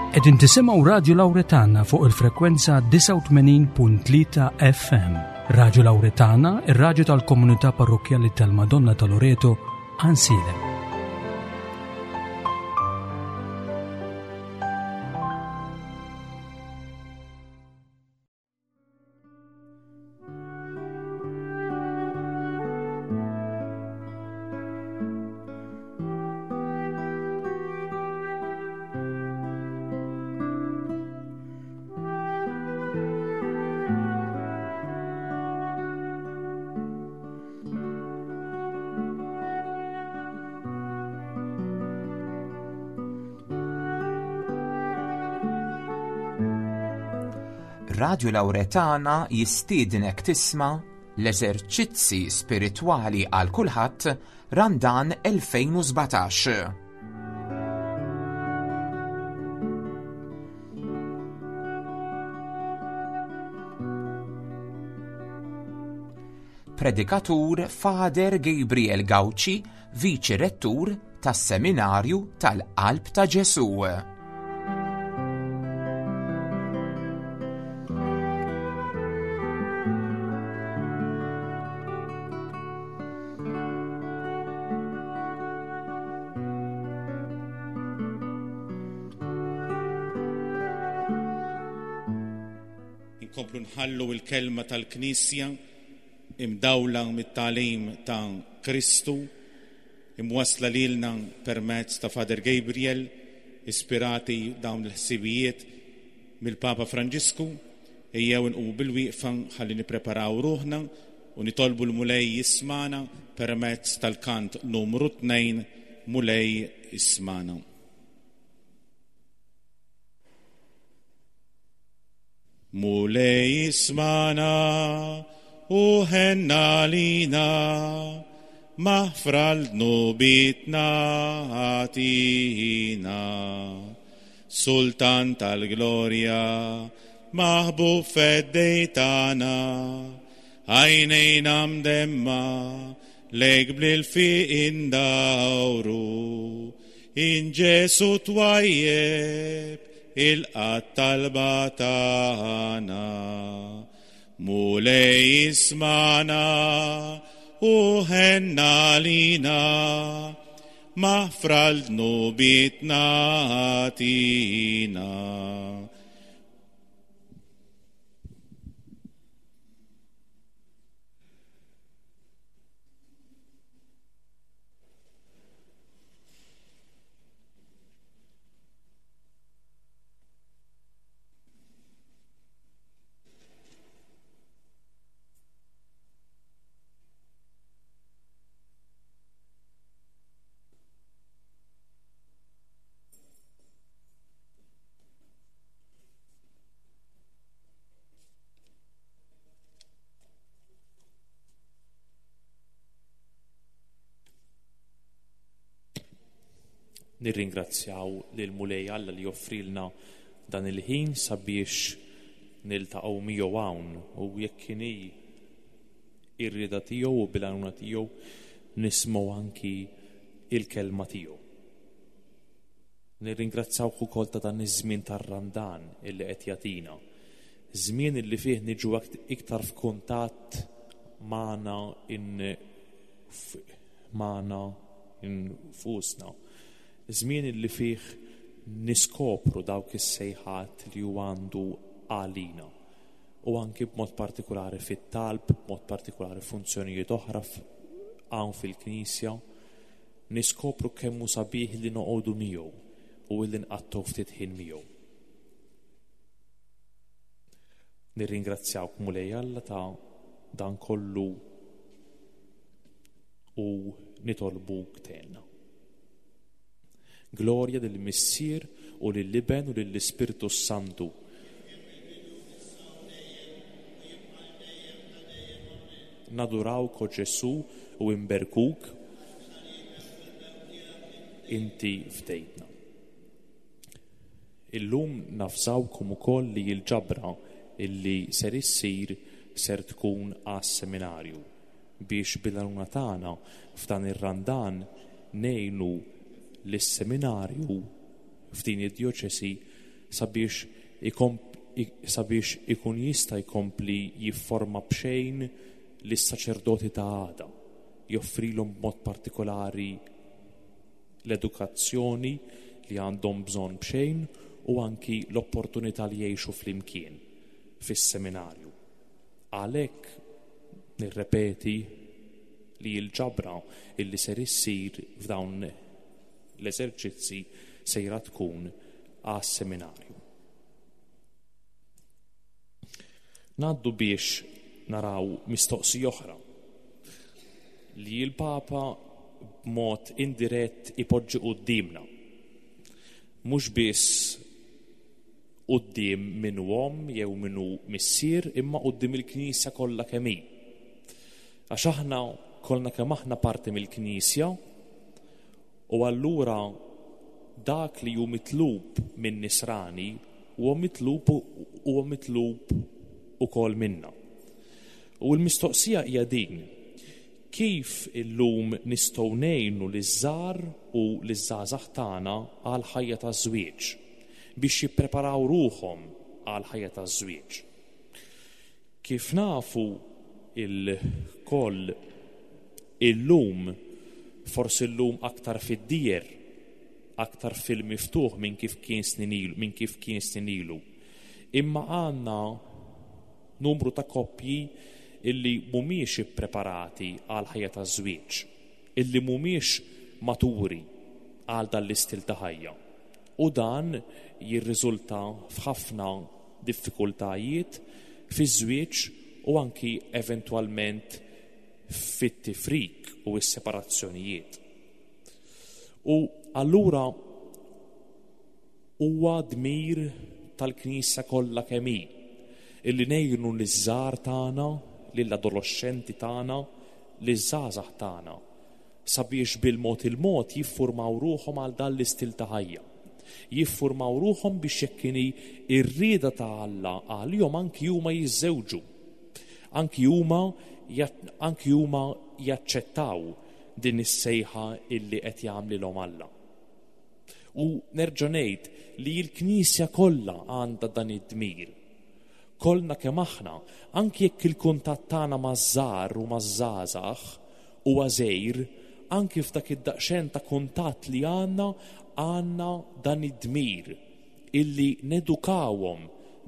Qegħdin tisimgħu Radju Lawretana fuq il-frekwenza 89.3 FM. Radju Lawretana, ir-radju tal-komunità parrokkjali tal-Madonna ta' Loreto, Ansilem. Radju Lawretana jistiednek tisma' l-eżerċizzi spiritwali għal kulħadd Randan 2017. Predikatur Father Gabriel Gauci, Viċi Rettur tas-Seminarju tal-Qalb ta' Ġesù. Inkomplu nħallu l-kelma tal-Knisja imdawla mit-tagħlim ta' Kristu, imwassla lilna permezz ta' Father Gabriel, ispirati dawn il-ħsibijiet mill-Papa Franġisku, ejjew inqumu bilwieqfa ħalli nippreparaw ruħna u nitolbu l-Mulej jismagħna permezz tal-kant numru 2, Mulej ismagħna. Mulej ismagħna u ħenn għalina, maħfra l-dnubietna agħtina. Sultan tal-glorja, maħbub feddej tagħna, għajnejna mdemma lejk bl-ilfiq indawru. In Ġesu twajjeb ilqa' t-talba tagħna. Mulej ismagħna u ħenn għalina, maħfra l-dnubietna agħtina. Nirringrazzjaw lill-Mulej Alla li joffrilna dan il-ħin sabiex niltaqgħu miegħu hawn u jekk inhi ir-rieda tiegħu u bil-għajnuna tiegħu nismgħu anki il-kelma tiegħu. Nirringrazzawk ukoll ta' dan iż-żmien tar-Randan illi qed jagħtina. Żmien illi fih niġu iktar f'kuntatt magħna in magħna infusna. Żmien illi fih niskopru dawk is-sejħat li hu għandu għalina. U anki b'mod partikulari fit-talb, b'mod partikulari funzjonijiet oħra hawn fil-Knisja, niskopru kemm hu sabiħ li noqogħdu miegħu u illi nqattgħu ftit ħin miegħu. Nirringrazzjawk Mulej Alla ta' dan kollu u nitolbuk tgħinna. Glorja lill-Missier u lill-Iben u lill-Ispirtu s-Santu. Nadurawk, o Ġesù, u inberkuk, inti fdejtna. Illum nafżawkom ukoll li l-ġabra illi ser issir ser tkun għas-seminarju biex bil-għajnuna tagħna f'dan ir-Randan ngħinu lis-seminarju f'din id-djoċesi. sabiex sabiex ikun jista' jkompli jifforma b'xejn lis-saċerdoti ta' għada, joffrilhom b'mod partikolari l-edukazzjoni li għandhom bżonn b'xejn u anki l-opportunità li jgħixu flimkien fis-seminarju. Għalhekk nirrepeti li l-ġabra illi ser issir f'dawn l-eżerċizzi sejra tkun għas-seminarju. Ngħaddu biex naraw mistoqsija oħra li l-Papa b'mod indirett ipoġġi quddiemna. Mhux biss quddiem min hu omm jew min hu missier imma quddiem il-Knisja kollha kemm hi. Għax aħna kollna kemm aħna parti mill-Knisja u allura dak li hu mitlub minn nisrani huwa mitlub huwa mitlub ukoll minna. U l-mistoqsija hija din: kif illum nistgħu ngħinu liż-żgħar u liż-żgħażagħ tagħna għall-ħajja taż-żwieġ, biex jippreparaw ruħhom għall-ħajja taż-żwieġ? Kif nafu lkoll illum, forsi llum aktar fid-dieher, aktar fil-miftuħ minn kif kien snin ilu, minn kif kien snin ilu. Imma għandna numru ta' koppji illi mhumiex ippreparati għall-ħajja taż-żwieġ, illi mhumiex maturi għal dan l-istil ta' ħajja. U dan jirriżulta f'ħafna diffikultajiet fiż-żwieġ u anki eventwalment fit-tifrik u s-separazzjonijiet. U allura huwa dmir tal-Knisja kollha kemm hi illi ngħinu liż-żgħar tagħna, lill-adoloxxenti tagħna, liż-żgħażagħ tagħna sabiex bil-mod il-mod jiffurmaw ruħhom għal dan l-istil ta' ħajja. Jiffurmaw ruħhom biex jekk inhi r-rieda ta' Alla għalihom anki huma jiżżewġu. Anki huma anki huma jaċċettaw din is-sejħa illi qed jagħmlilhom Alla. U nerġa' ngħid li l-Knisja kollha għandha dan id-dmir. Kollna kemm aħna, anki jekk il-kuntatt tagħna maż-żgħar u maż-żgħażagħ huwa żgħir, anki f'dak id-daqsxejn ta' kuntatt li għandna, għandna dan id-dmir illi nedukawhom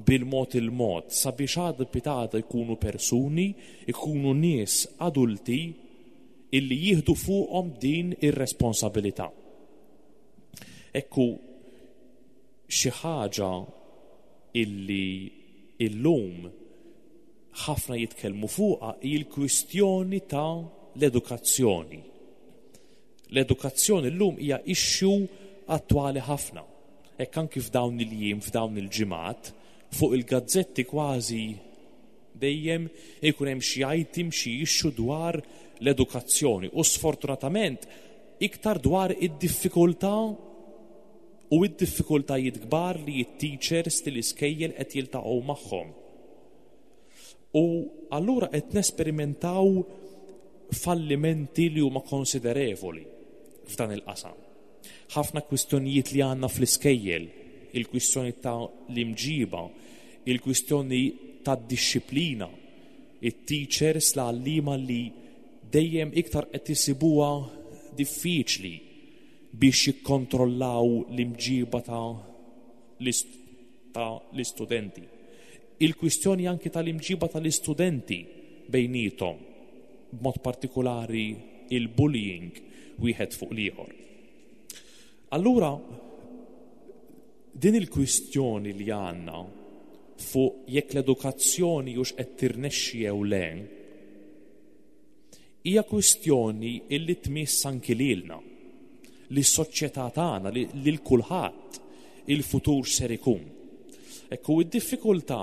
bil-mod il-mod sabiex għada pitgħada jkunu persuni, ikunu nies adulti illi jieħdu fuqhom din ir-responsabilità. Ekku xi ħaġa illi illum ħafna jitkellmu fuqha hi l-kwistjoni ta' l-edukazzjoni. L-edukazzjoni llum hija issue attwali ħafna. Hekk anki f'dawn il-jiem, f'dawn il-ġimgħat, fuq il-gazzetti kważi dejjem ikun hemm xi item, xi issue dwar l-edukazzjoni u sfortunatament iktar dwar id-diffikultà u d-diffikultajiet kbar li t-teachers tal-iskejjel qed jiltaqgħu magħhom. U allura qed nesperimentaw fallimenti li huma konsiderevoli f'dan il-qasam. Ħafna kwistjonijiet li għandna fl-iskejjel, il-kwistjoni ta' l-imġiba, il-kwistjoni tad-dixxiplina, it-teachers, l-għalliema li dejjem iktar qed isibuha diffiċli biex jikkontrollaw l-imġiba ta' l-istudenti. Il-kwistjoni anki tal-imġiba tal-istudenti bejniethom, b'mod partikolari il-bullying wieħed fuq l-ieħor. Allura, din il-kwistjoni li għandna fuq jekk l-edukazzjoni hux qed tirnexxi jew le, hija kwistjoni illi tmiss anki lilna, lis-soċjetà tagħna, lil kulħadd il-futur x'ser ikun. Ekku id-diffikultà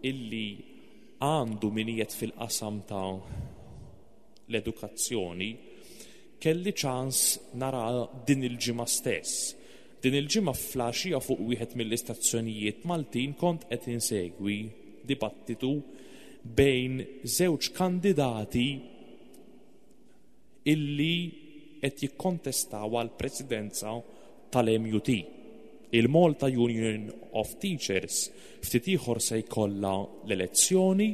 illi għandu min qiegħed fil-qasam ta' l-edukazzjoni kelli ċans nara din il-ġimgħa stess. Din il-ġimgħa fl-għaxija fuq wieħed mill-istazzjonijiet Maltin kont qed insegwi dibattitu bejn żewġ kandidati illi qed jikkontestaw għall-presidenza tal-MUT. Il-Malta Union of Teachers ftit ieħor se jkollha l-elezzjoni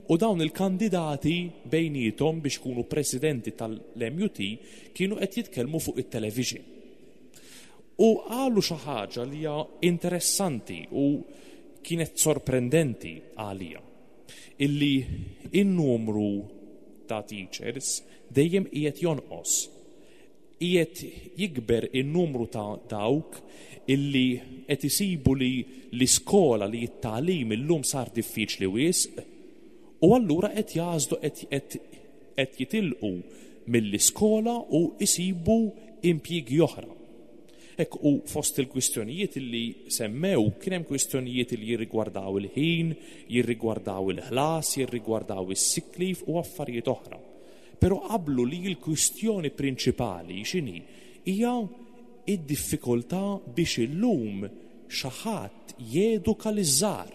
u dawn il-kandidati bejniethom biex ikunu presidenti tal-MUT kienu qed jitkellmu fuq it-television. U qalu xi ħaġa li hija interessanti u kienet sorprendenti għalija. Illi in-numru ta' teachers dejjem qiegħed jonqos. Qiegħed jikber in-numru ta' dawk illi qed isibu li l-iskola li t-tagħlim illum sar diffiċli wisq u allura qed jagħżlu qed qed jitilqu mill-iskola u jsibu impjiegi oħra. Hekk u fost il-kwistjonijiet li semmew kien hemm kwistjonijiet li jirrigwardaw il-ħin, jirrigwardaw il-ħlas, jirrigwardaw is-sick leave u affarijiet oħra. Però qablu li l-kwistjoni prinċipali x'inhi? Hija id-diffikultà biex illum xi ħadd jeduka liż-żgħar.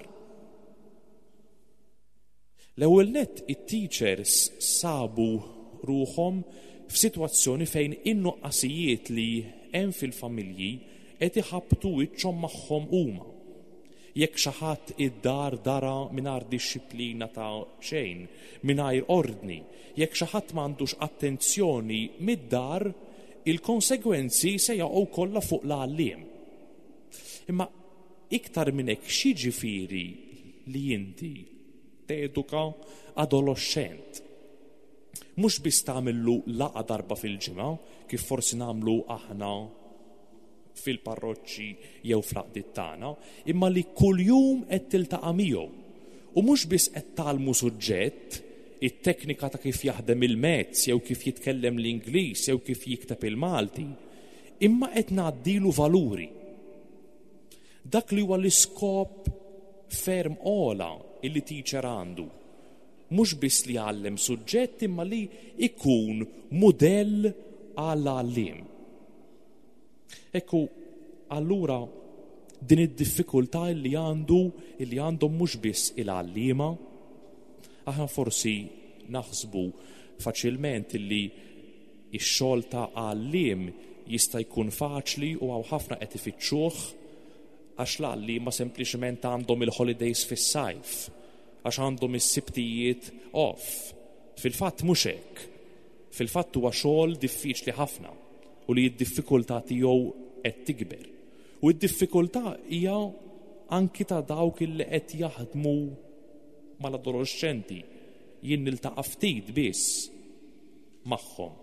L-ewwel nett it-teachers sabu ruħhom f'sitwazzjoni fejn in-nuqqasijiet li hemm fil-familji qed iħabbtu wiċċhom magħhom huma. Jekk xi ħadd id-dar dara mingħajr dixxiplina ta' xejn, mingħajr ordni, jekk xi ħadd m'għandux attenzjoni mid-dar, il-konsegwenzi se jaqgħu kollha fuq l-għalliem. Imma iktar minn hekk x'jiġifieri li inti teduka adoloxxent? Mhux biss tagħmillu laqgħa darba fil-ġimgħa, kif forsi nagħmlu aħna fil-parroċċi jew fl-għaqdiet tagħna, imma li kuljum qed tiltaqa' miegħu. U mhux biss qed tgħallmu suġġett, it-teknika ta' kif jaħdem il-mezz jew kif jitkellem l-Ingliż jew kif jikteb il-Malti, imma qed ngħaddilu valuri. Dak li huwa l-iskop ferm ogħla illi teacher għandu. Mhux biss li jgħallem suġġett imma li jkun mudell għall-għalliem. Ekku, allura din id-diffikultà li għandu li għandhom mhux biss il-għalliema, aħna forsi naħsbu faċilment illi ix-xogħol ta' għalliem jista' jkun faċli u hawn ħafna qed ifittxuh għax l-għalliema sempliċement għandhom il-holidays fis-sajf, għax għandhom is-Sibtijiet off. Fil-fatt mhux hekk. Fil-fatt huwa xogħol diffiċli ħafna u li d-diffikultà tiegħu qed tikber. U d-diffikultà hija anki ta' dawk li qed jaħdmu mal-adoloxxenti. Jien niltaqa' ftit biss magħhom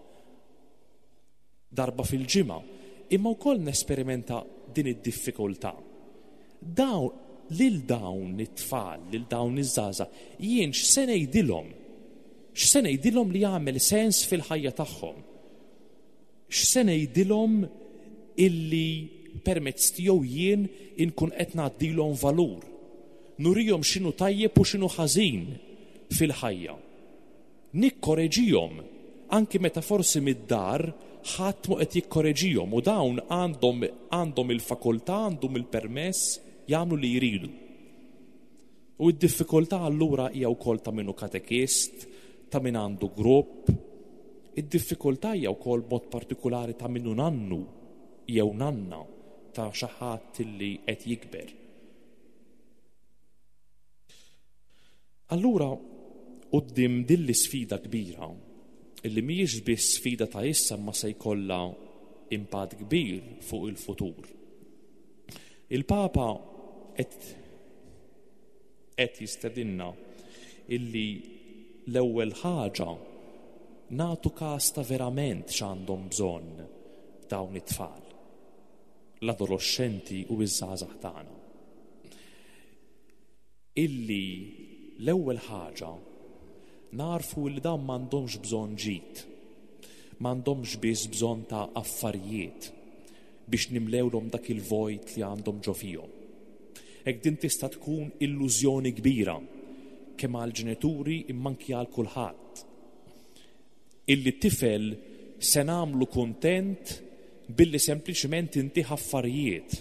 darba fil-ġimgħa, imma wkoll nesperimenta din id-diffikultà. Dawn lil dawn it-tfal, lil dawn iż-żgħażagħ, jien x'se ngħidilhom? X'se ngħidilhom li jagħmel sens fil-ħajja tagħhom? X'se ngħidilhom illi permezz tiegħu jien inkun qed ngħaddilhom valur? Nurihom x'inhu tajjeb u x'inhu ħażin fil-ħajja. Nikkoreġihom, anki meta forsi mid-dar ħadd mhu qed jikkoreġihom u dawn għandhom għandhom il-fakultà, għandhom il-permess jagħmlu li jridu. U d-diffikultà allura hija wkoll ta' min hu katekist, ta' min għandu grupp. Id-diffikultà hija wkoll b'mod partikulari ta' min hu nannu jew nanna ta' xi ħadd li qed jikber. Allura, quddiem din l-isfida kbira, illi mhijiex biss sfida ta' issa imma se jkollha impatt kbir fuq il-futur, il-Papa qed qed jistedinna illi l-ewwel ħaġa nagħtu każ ta' verament x'għandhom bżonn dawn it-tfal, l-adoloxxenti u ż-żgħażagħ tagħna. Illi l-ewwel ħaġa nagħrfu li dawn m'għandhomx bżonn ġid, m'għandhomx biss bżonn ta' affarijiet biex nimlewlhom dak il-vojt li għandhom ġo fihom. Hekk din tista' tkun illużjoni kbira kemm għall-ġenituri imma anki għal kulħadd. Illi tifel se nagħmlu kuntent billi sempliċement intih affarijiet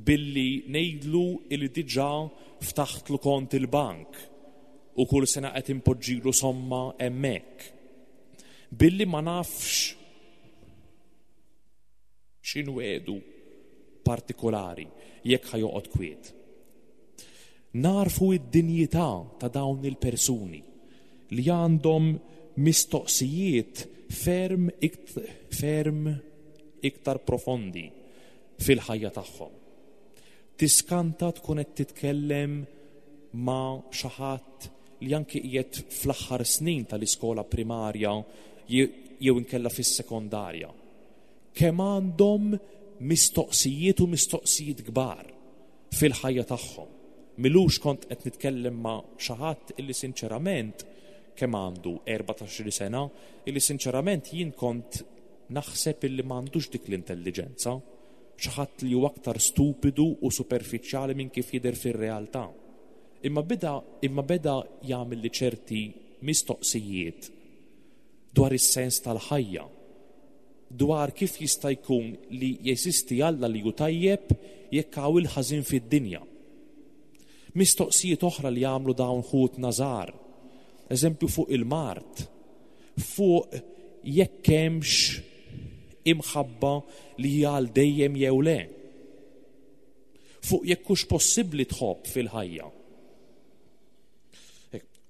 billi ngħidlu illi diġà ftaħtlu kont il-bank u kull sena qed inpoġġilu somma hemmhekk. Billi ma nafx x'inwiegħdu. partikolari jekk ħa joqgħod kwiet. Nagħrfu d-dinjità ta' dawn il-persuni li għandhom mistoqsijiet ferm ferm iktar profondi fil-ħajja tagħhom. Tiskanta tkun qed titkellem ma' xi ħadd li anki qiegħed fl-aħħar snin tal-iskola primarja jew inkella fis-sekondarja. Kemm għandhom mistoqsijiet u mistoqsijiet kbar fil-ħajja tagħhom. M'ilux kont qed nitkellem ma' xi ħadd illi sinċerament kemm għandu 14-il sena, illi sinċerament jien kont naħseb illi m'għandux dik l-intelliġenza, xi ħadd li hu aktar stupidu u superfiċjali minn kif jidher fir-realtà. Imma beda imma beda jagħmilli ċerti mistoqsijiet dwar is-sens tal-ħajja, dwar kif jista' jkun li jeżisti Alla li hu tajjeb jekk hawn il-ħażin fid-dinja. Mistoqsijiet oħra li għamlu dawn ħutna żgħar, eżempju fuq il-mard, fuq jekk hemmx imħabba li hija għal dejjem jew le, fuq jekk hux possibbli tħobb fil-ħajja.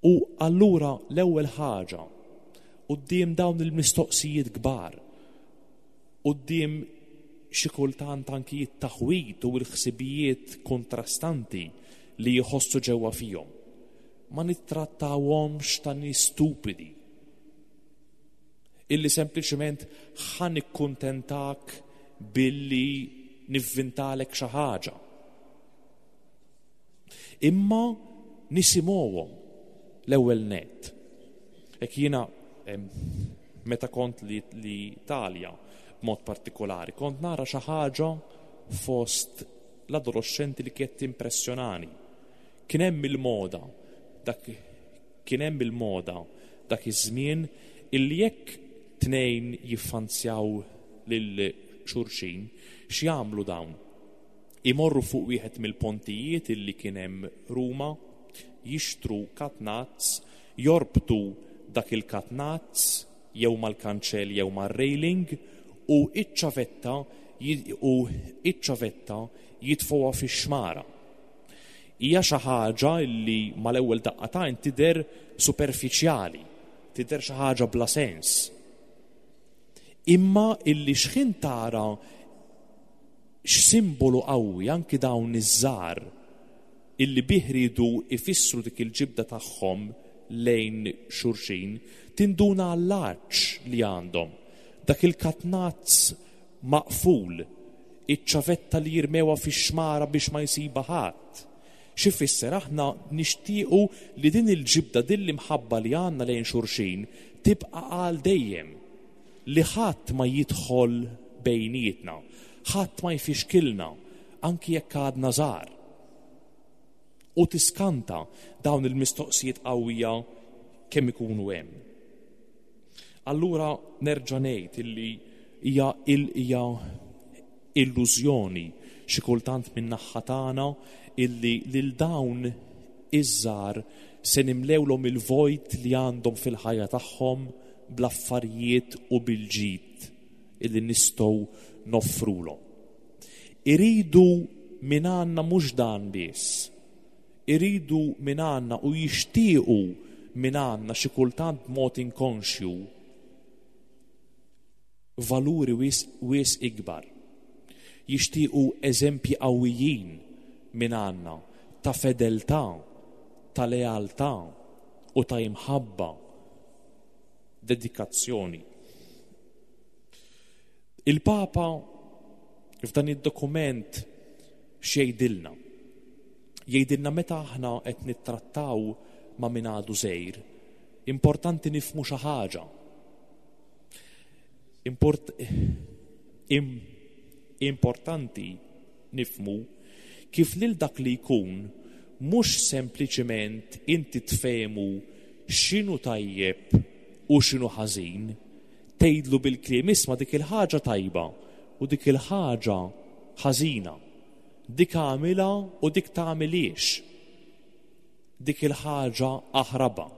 U allura l-ewwel ħaġa quddiem dawn il-mistoqsijiet kbar, quddiem xi kultant anki t-taħwid u l-ħsibijiet kontrastanti li jħossu ġewwa fihom, ma nittrattawhomx ta' nies stupidi illi sempliċement ħa nikkuntentak billi nivvintalek xi ħaġa. Imma nisimgħuhom l-ewwel nett. Hekk jiena meta kont l-Italja b'mod partikolari, kont nara xi ħaġa fost l-adoloxxenti li kienet timpressjonani. Kien hemm il-moda dak kien hemm il-moda dak iż-żmien illi jekk tnejn jiffanzjaw lil xulxin, x'jagħmlu dawn? Imorru fuq wieħed mill-pontijiet illi kien hemm Ruma, jixtru katnazz, jorbtu dak il-katnazz jew mal-kanċell jew mar-railing u ċ-ċavetta u ċ-ċavetta jitfgħuha fix-xmara. Hija xi ħaġa illi mal-ewwel daqqa t'għajn tidher superfiċjali, tidher xi ħaġa bla sens. Imma illi x'ħin tara X'simbolu qawwi anki dawn iż-żgħar illi bih riedu jfissru dik il-ġibda tagħhom lejn xulxin, tinduna għall-għatx li għandhom, dak il-katnazz maqful, iċ-ċavetta li jirmewha fix-xmara biex ma jsibha ħadd. X'ifisser aħna nixtiequ li din il-ġibda, din l-imħabba li għandna lejn xulxin tibqa' għal dejjem. Li ħadd ma jidħol bejnietna, ħadd ma jfixkilna, anki jekk għadna żgħar. U tiskanta dawn il-mistoqsijiet qawwija kemm ikunu hemm. Allura nerġa' ngħid illi hija hija illużjoni xi kultant min-naħa tagħna illi lil dawn iż-żgħar se nimlewlhom il-vojt li għandhom fil-ħajja tagħhom bl-affarijiet u bil-ġid illi nistgħu noffrulhom. Iridu minn għandna mhux dan biss. Iridu minn għandna u jixtiequ minn għandna xi kultant b'mod inkonxju valuri wisq wisq ikbar. Jixtiequ eżempji qawwijin minn għandna ta' fedeltà, ta' lealtà u ta' imħabba, dedikazzjoni. Il-Papa f'dan id-dokument x'jgħidilna? Jgħidilna meta aħna qed nittrattaw ma' min għadu żgħir, importanti nifhmu xi ħaġa. Import, im, importanti nifhmu kif lil dak li jkun mhux sempliċement inti tfehmu x'inhu tajjeb u x'inhu ħażin, tgħidlu bil-kliem isma' dik il-ħaġa tajba u dik il-ħaġa ħażina, dik agħmilha u dik tagħmilhiex, dik il-ħaġa aħrabha.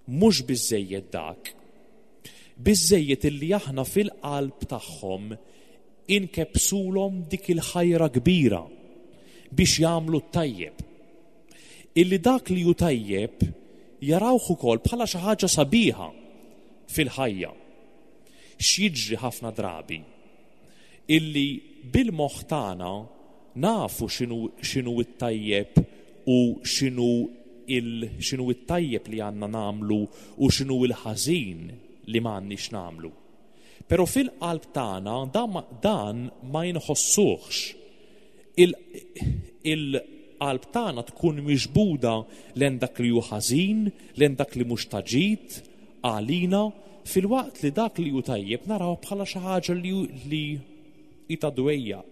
Mhux biżżejjed dak. Biżżejjed illi aħna fil-qalb tagħhom. Inkebbsulhom dik il-ħajra kbira biex jagħmlu t-tajjeb. Illi dak li hu tajjeb jarawh ukoll bħala xi ħaġa sabiħa fil-ħajja. X'jiġri ħafna drabi? Illi bil-moħħ tagħna nafu x'inhu x'inhu t-tajjeb u x'inhu il x'inhu t-tajjeb li għandna nagħmlu u x'inhu l-ħażin li m'għandniex nagħmlu. Però fil-qalb tagħna dan ma jinħossuhx. Il-qalb tagħna tkun miġbuda lejn dak li hu ħażin, lejn dak li mhux ta' ġid għalina, filwaqt li dak li hu tajjeb naraw bħala xi ħaġa li hi ta' dwejjaq,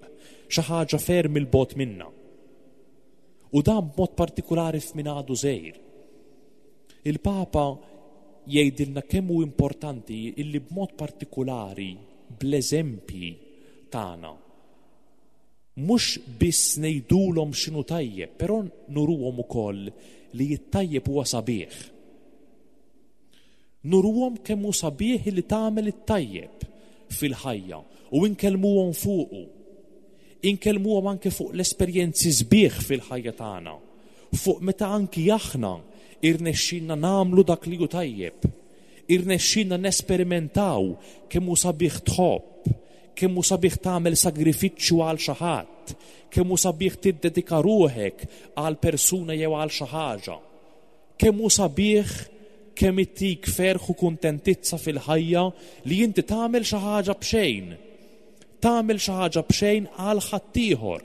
xi ħaġa ferm 'il bogħod minna. U dan b'mod partikulari f'min għadu żgħir. Il-Papa jgħidilna kemm hu importanti illi b'mod partikulari bl-eżempji tagħna mhux biss ngħidulhom x'inhu tajjeb, però nuruhom ukoll li t-tajjeb huwa sabiħ. Nuruhom kemm hu sabiħ li tagħmel it-tajjeb fil-ħajja u nkellmuhom fuqu. Inkellmuhom anke fuq l-esperjenzi sbieħ fil-ħajja tagħna, fuq meta anki aħna irnexxielna nagħmlu dak li hu tajjeb, irnexxielna nesperimentaw kemm hu sabiħ tħobb, kemm hu sabiħ tagħmel sagrifiċċju għal xi ħadd, kemm hu sabiħ tiddedika ruħek għal persuna jew għal xi ħaġa. Kemm hu sabiħ kemm ittik ferħ u kuntentizza fil-ħajja li inti tagħmel xi ħaġa b'xejn. Tagħmel xi ħaġa b'xejn għal ħaddieħor.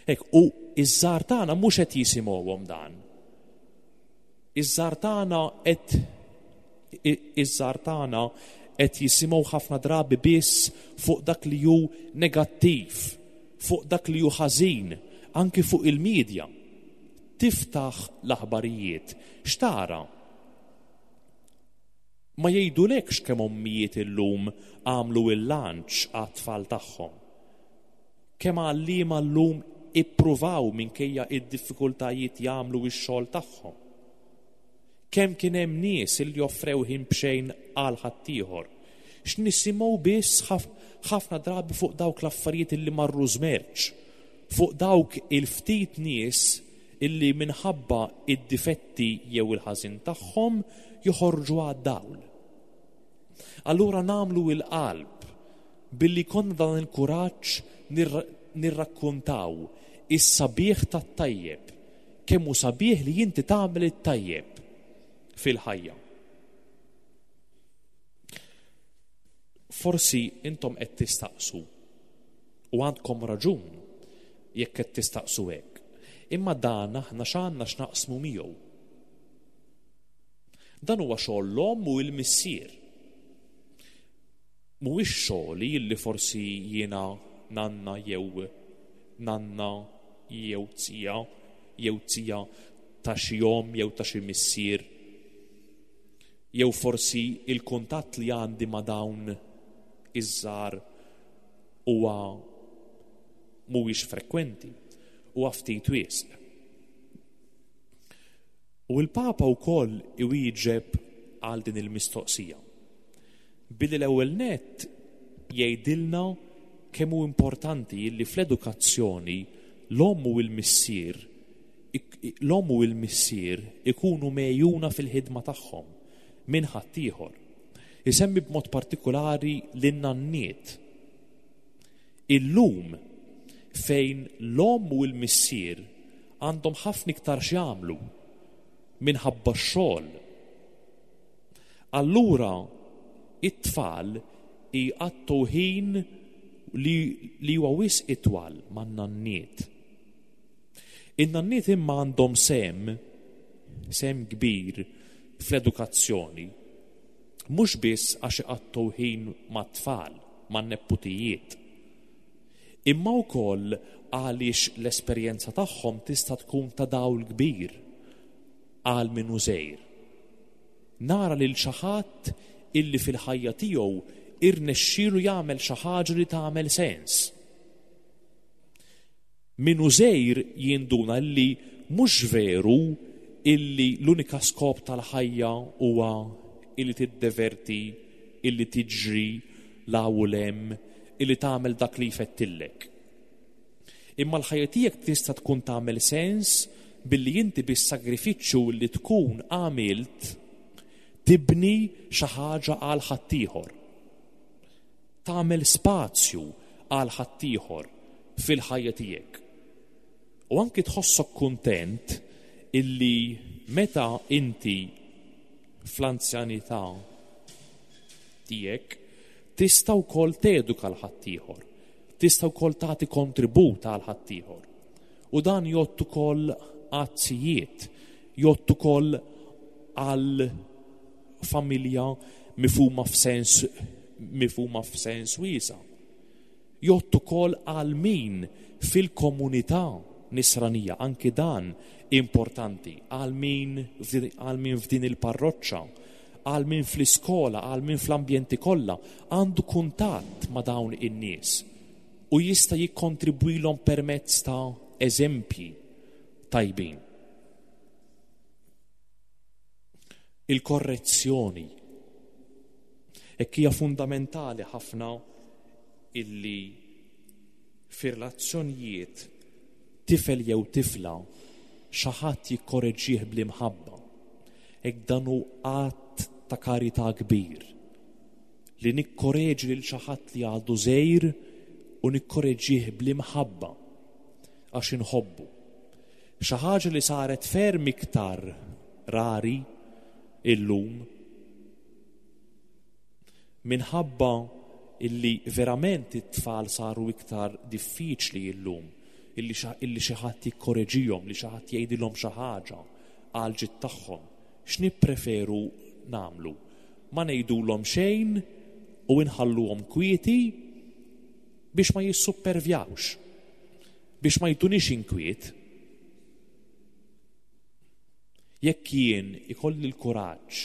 Hekk, u iż-żgħar tagħna mhux qed jisimgħuhom dan. Iż-żgħar tagħna qed iż-żgħar tagħna qed jisimgħu ħafna drabi biss fuq dak li hu negattiv, fuq dak li hu ħażin, anki fuq il-medja. Tiftaħ l-aħbarijiet, x'tara? Ma jgħidulekx kemm ommijiet illum għamlu il-lunch għat-tfal tagħhom. Kemm għalliema llum ippruvaw minkejja id-diffikultajiet jagħmlu x-xogħol tagħhom. Kemm kien hemm nies li offrew ħin b'xejn għal ħaddieħor. X'nisimgħu biss ħafna drabi fuq dawk l-affarijiet illi marru żmerċ, fuq dawk il-ftit nies illi minħabba id-difetti jew il-ħażin tagħhom joħorġu għad-dawl. Allura nagħmlu il-qalb billi jkollna dan il-kuraġġ nirrakkuntaw is-sabiħ tat-tajjeb, kemm hu sabiħ li inti tagħmel it-tajjeb fil-ħajja. Forsi intom qed tistaqsu u għandkom raġun jekk qed tistaqsu hekk. Imma dan aħna x'għandna x'naqsmu miegħu. Dan huwa xogħol l-omm u l-missier. Mhuwiex xogħli illi forsi jiena nanna jew nanna jew zija jew zija ta' xi omm jew ta' xi missier jew forsi il-kuntatt li għandi ma' dawn iż-żgħar huwa mhuwiex frekwenti, huwa ftit wisq. U l-Papa wkoll iwieġeb għal din il-mistoqsija. Billi l-ewwel nett jgħidilna kemm hu importanti li fl-edukazzjoni l-omm u l-missier l-omm u l-missier ikunu megħjuna fil-ħidma tagħhom minn ħaddieħor. Isemmi b'mod partikulari lin-nanniet. Illum fejn l-omm u l-missier għandhom ħafna iktar x'jagħmlu minħabba x-xogħol. Allura it-tfal jqattgħu ħin li, li huwa wisq itwal man-nanniet. In-nanniet imma għandhom sehem, sehem kbir fl-edukazzjoni, mhux biss għax iqattgħu ħin mat-tfal, man-neputijiet, imma wkoll għaliex l-esperjenza tagħhom tista' tkun ta' dawl kbir għal min hu żgħir. Nara lil xi ħadd illi fil-ħajja tiegħu irnexxielu jagħmel xi ħaġa li tagħmel sens. Min hu żgħir jinduna li mhux veru illi l-unika skop tal-ħajja huwa illi tiddeverti, illi tiġri 'l hawn u 'l hemm, illi tagħmel dak li jfettillek. Imma l-ħajja tiegħek tista' tkun tagħmel sens billi inti bis-sagrifiċċju li tkun għamilt tibni xi ħaġa għal ħaddieħor. Tagħmel spazju għal ħaddieħor fil-ħajja tiegħek. U anki tħossok kuntent illi meta inti fl-anzjanità tiegħek tista' wkoll teduka l ħaddieħor, tista' wkoll tagħti kontribut għal ħaddieħor. U dan jgħodd ukoll għat-tzijiet, jgħodd ukoll għal familja mifhuma f'sens mifhuma f'sens wiesa'. Jgħodd ukoll għal min fil-komunità nisranija, anki dan importanti, għal min għal min f'din il-parroċċa, għal min fl-iskola, għal min fl-ambjenti kollha għandu kuntatt ma' dawn in-nies u jista' jikkontribwilhom permezz ta' eżempji tajbin. Il-korrezzjoni. Hekk hija fundamentali ħafna illi fir-relazzjonijiet tifel jew tifla xi ħadd jikkoreġih bl-imħabba. Hekk dan hu att ta' karità kbir li nikkoreġi lil xi ħadd li għadu żgħir u nikkoreġih bl-imħabba għax inħobbu. Xi ħaġa li saret ferm iktar rari illum minħabba illi verament it-tfal saru iktar diffiċli illum illi xi ħadd jikkoreġihom, li xi ħadd jgħidilhom xi ħaġa għal ġid tagħhom. X'nippreferu nagħmlu? Ma ngħidulhom xejn u nħalluhom kwieti biex ma jissuppervjawx, biex ma jtunix inkwiet. Jekk jien ikolli l-kuraġġ,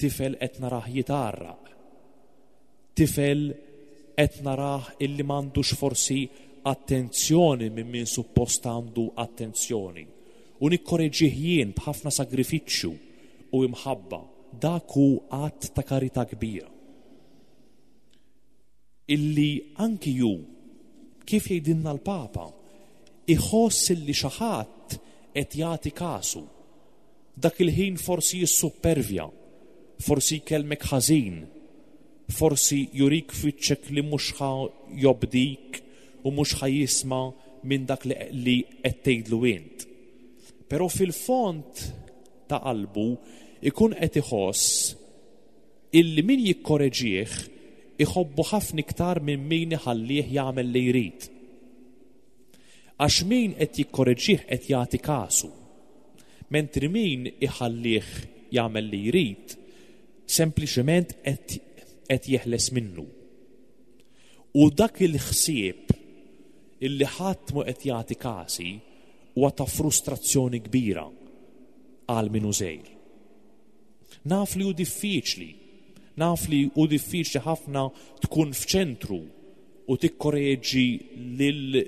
tifel qed narah jitgħarraq, tifel qed narah illi m'għandux forsi attenzjoni minn min suppost għandu attenzjoni, u nikkoreġih jien b'ħafna sagrifiċċju u imħabba, dak hu att ta' karità kbira. Illi anki hu, kif jgħidilna l-Papa, iħoss illi xi ħadd qed jagħti kasu. Dak il-ħin forsi jissuppervja, forsi jkellmek ħażin, forsi jurik f'wiċċek li mhux ħa jobdik u mhux ħa jisma' minn dak li qed tgħidlu int. Però fil-fond ta' qalbu ikun qed iħoss illi min jikkoreġih iħobbu ħafna iktar minn min iħallih jagħmel li jrid. Għax min qed jikkoreġih qed jagħti kasu. Mentri min iħallih jagħmel li jrid, sempliċement qed qed jeħles minnu. U dak il-ħsieb illi ħadd mhu qed jagħti kasi huwa ta' frustrazzjoni kbira għal min hu żgħir. Naf li hu diffiċli, naf li hu diffiċli ħafna tkun f'ċentru u tikkoreġi lil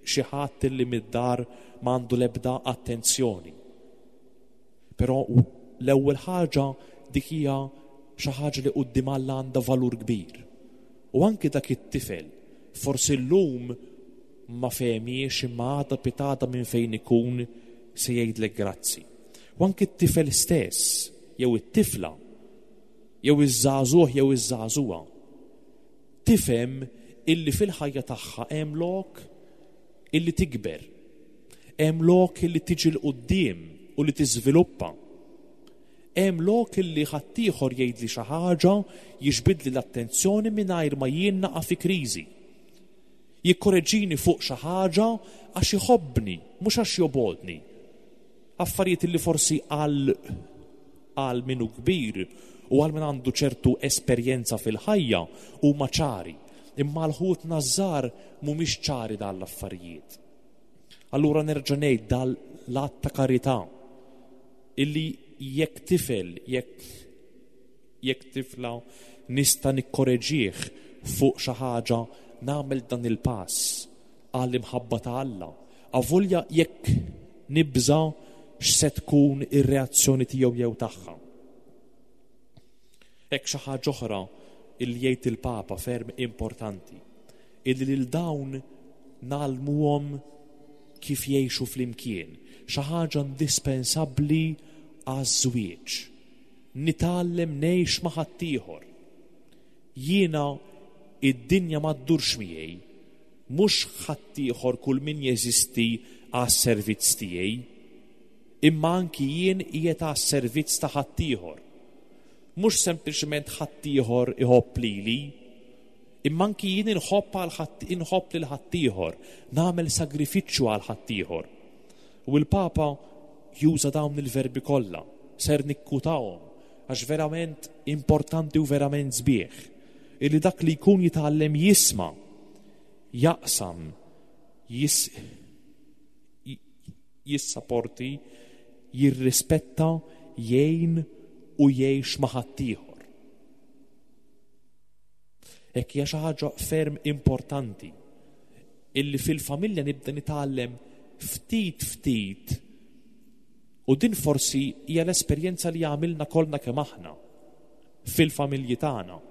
xi ħadd li mid-dar m'għandu l-ebda attenzjoni. Però l-ewwel ħaġa dik hija xi ħaġa li quddiem Alla għandha valur kbir. U anki dak it-tifel, forsi llum ma fehmiex imma għada pitgħada minn fejn ikun se jgħidlek grazzi. U anki t-tifel stess, jew it-tifla, jew iż-żagħżugħ jew iż-żagħżugħa, tifhem illi fil-ħajja tagħha hemm lok illi tikber, hemm lok illi tiġi 'l quddiem u li tiżviluppa. Hemm lok illi ħaddieħor jgħidli xi ħaġa, jiġbidli l-attenzjoni mingħajr ma jien naqa' fi kriżi. Jikkoreġini fuq xi ħaġa għax iħobbni, mhux għax jobgħodni. Affarijiet li forsi għal għal min hu kbir u għal min għandu ċertu esperjenza fil-ħajja huma ċari, imma għal ħutna ż-żgħar mhumiex ċari dan l-affarijiet. Allura nerġa' ngħid dal l-att ta' karità illi jekk tifel, jekk Jekk tifla nista' nikkoreġih fuq xi ħaġa nagħmel dan il-pass għall-imħabba ta' Alla, avolja jekk nibża' x'se tkun ir-reazzjoni tiegħu jew tagħha. Hekk xi ħaġa oħra li jgħid il-Papa ferm importanti. Illi lil dawn ngħallmuhom kif jgħixu flimkien, xi ħaġa indispensabbli għaż-żwieġ. Nitgħallem ngħix ma' ħaddieħor. Jiena id-dinja ma ddurx miegħi, mhux ħaddieħor kull min jeżisti għas-servizz tiegħi, imma anki jien qiegħed għas-servizz ta' ħaddieħor. Mhux sempliċement ħaddieħor iħobb lili, imma anki jien inħobb għal ħadd inħobb lil ħaddieħor, nagħmel sagrifiċċju għal ħaddieħor. U l-Papa juża dawn il-verbi kollha, ser nikkutahom għax verament importanti u verament sbieħ illi dak li jkun jitgħallem jisma', jaqsam, jis, jissaporti, jirrispetta, jgħin u jgħix ma' ħaddieħor. Hekk hija xi ħaġa ferm importanti illi fil-familja nibda nitgħallem ftit ftit u din forsi hija l-esperjenza li għamilna kollna kemm aħna fil-familji tagħna.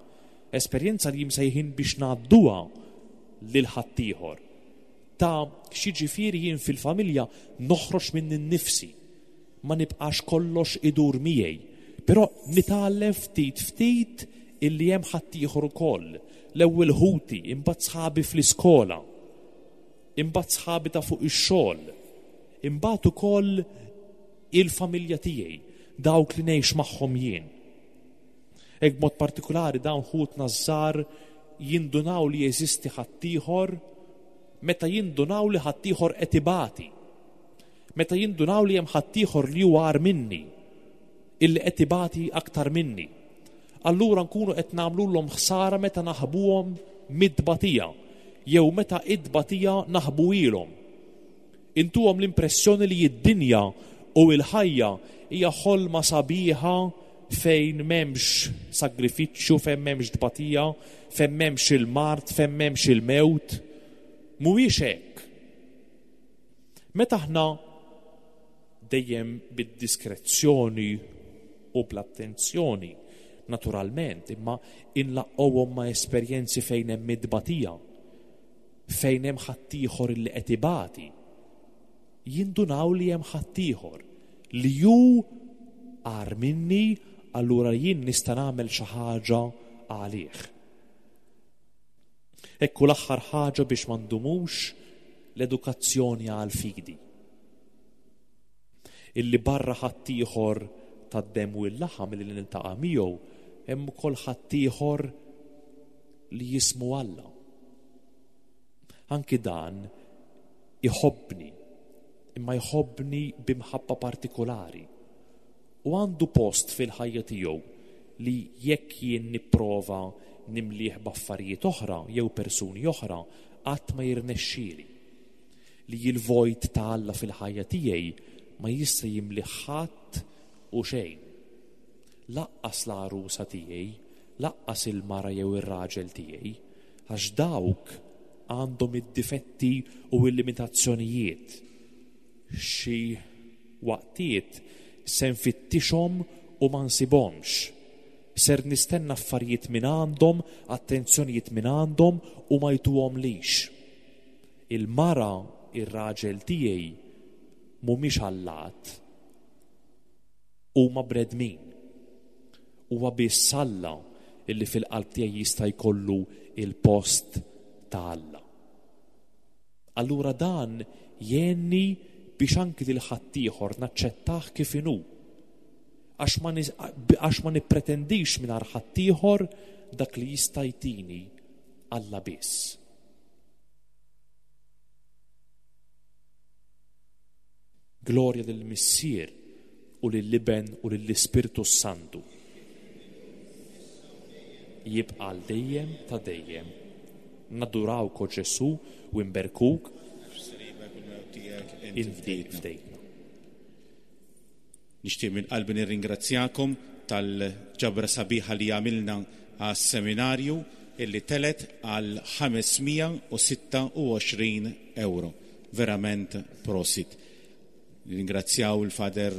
Esperjenza li jimsejħin biex ngħadduha lil ħaddieħor. Ta' x'jiġifieri jien fil-familja noħroġ minni nnifsi, ma nibqax kollox idur miegħi, però nitgħallem ftit ftit illi hemm ħaddieħor ukoll, l-ewwel ħuti, imbagħad sħabi fl-iskola, imbagħad sħabi ta' fuq ix-xogħol, imbagħad ukoll il-familja tiegħi, dawk li ngħix magħhom jien. Hekk b'mod partikulari dawn ħutna ż-żgħar jindunaw li jeżisti ħaddieħor meta jindunaw li ħaddieħor qed ibati. Meta jindunaw li hemm ħaddieħor li huwa agħar minni, illi qed ibati aktar minni. Allura nkunu qed nagħmlulhom ħsara meta naħbuhom mid-tbatija jew meta it-tbatija naħbuhielhom. Intuhom l-impressjoni li d-dinja u l-ħajja hija ħolma sabiħa fejn m'hemmx sagrifiċċju, fejn m'hemmx tbatija, fejn m'hemmx il-mard, fejn m'hemmx il-mewt. Mhuwiex hekk. Meta aħna dejjem bid-diskrezzjoni u bl-attenzjoni, naturalment, imma inlaqqgħuhom ma' esperjenzi fejn hemm it-tbatija, fejn hemm ħaddieħor li qed ibati, jindunaw li hemm ħaddieħor li hu agħar minni, allura jien nista' nagħmel xi ħaġa għalih. Ekku l-aħħar ħaġa biex ma ndumux l-edukazzjoni għall-fidi. Illi barra ħaddieħor tad-demm u l-laħam li niltaqa' miegħu hemm ukoll ħaddieħor li jismu Alla. Anki dan iħobbni, imma jħobbni b'imħabba partikolari. U għandu post fil-ħajja tiegħu li jekk jien nipprova nimlih b'affarijiet oħra jew persuni oħra qatt ma jirnexxieli. Li l-vojt ta' Alla fil-ħajja tiegħi ma jista' jimlih ħadd u xejn. Laqqas l-għarusa tiegħi, laqqas il-mara jew ir-raġel tiegħi, għax dawk għandhom id-difetti u l-limitazzjonijiet. Xi waqtiet se nfittixhom u ma nsibhomx. Ser nistenna affarijiet minn għandhom, attenzjonijiet minn għandhom u ma jtuhomlix. Il-mara, ir-raġel tiegħi mhumiex allat. Huma bnedmin. Huwa biss Alla illi fil-qalb tiegħi jista' jkollu il-post ta' Alla. Allura dan jgħinni biex anki lil ħaddieħor naċċettah kif inhu. Għax ma, għax ma nippretendix mingħand ħaddieħor dak li jista' jtini Alla biss. Glorja lill-Missier u lill-Iben u lill-Ispirtu s-Santu. Jibqa' għal dejjem ta' dejjem. Nadurawk, o Ġesù, u nberkuk inti fdejtna. Nixtieq minn qalbi nirringrazzjakom tal-ġabra sabiħa li għamilna għas-seminarju illi telet għal 526 euro. Verament prosit. Nirringrazzjaw il-Father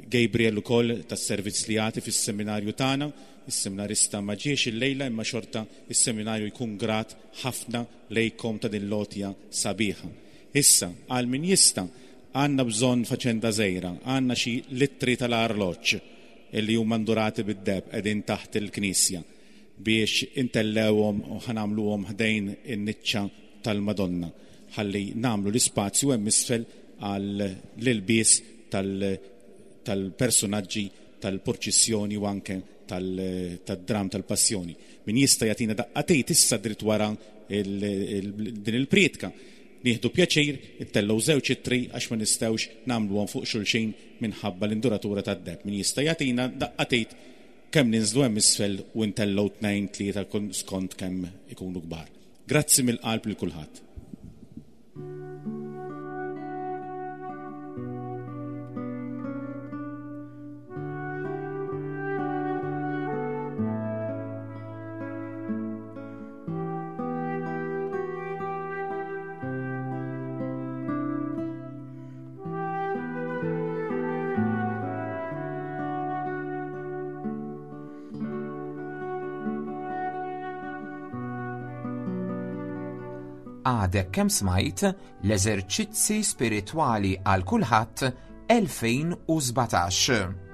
Gabriel ukoll tas-servizz li jagħti fis-seminarju tagħna. Is-seminarista ma ġiex illejla imma xorta is-seminarju jkun grat ħafna lejkom ta' din l-għotja sabiħa. Issa, għal min jista', għandna bżonn faċenda żgħira, għandna xi littri tal-arloġġ illi huma ndurati bid-deheb qegħdin taħt il-knisja biex intellgħuhom u ħa nagħmluhom ħdejn in-niċċa tal-Madonna ħalli nagħmlu l-ispazju hemm isfel għall-ilbies tal-persunaġġi tal-purċissjoni u anke tad-dramm tal-passjoni. Min jista' jagħtina daqqa t'id issa dritt wara din il-prietka. Nieħdu pjaċir ittellgħu żewġ ittri għax ma nistgħux nagħmluhom fuq xulxin minħabba l-induratura tad-deheb. Min jista' jagħtina daqqa t'id kemm ninżlu hemm isfel u ntellgħu tnejn, tlieta skont kemm ikunu kbar. Grazzi mill-qalb lil kulħadd. Għadek kemm smajt l-eżerċizzi spiritwali għal kulħadd 2017.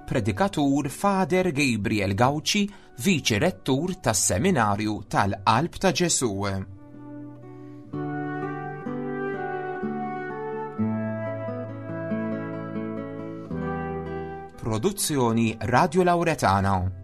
Predikatur Father Gabriel Gauci, Viċi Rettur tas-Seminarju tal-Qalb ta' Ġesù. Produzzjoni Radio Lauretana.